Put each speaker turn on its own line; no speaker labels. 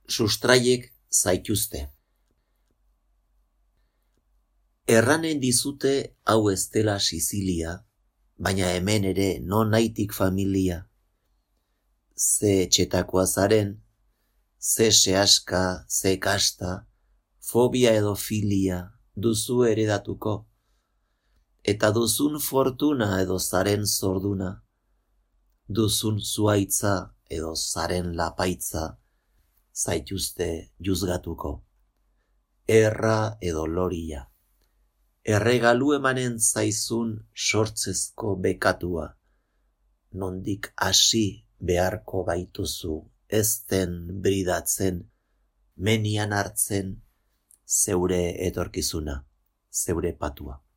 sustraiek zaituzte. Erranen dizute hau ez dela Sizilia, baina hemen ere non naitik familia. Ze etxetakoa zaren, ze sehaska, ze kasta, fobia edo filia duzu eredatuko, eta duzun fortuna edo zaren zorduna, duzun zuaitza edo zaren lapaitza, zaituzte juzgatuko. Erra edo loria, erregalu emanen zaizun sortzezko bekatua, nondik hasi beharko baituzu ezten bridatzen, menian hartzen zeure etorkizuna, zeure patua.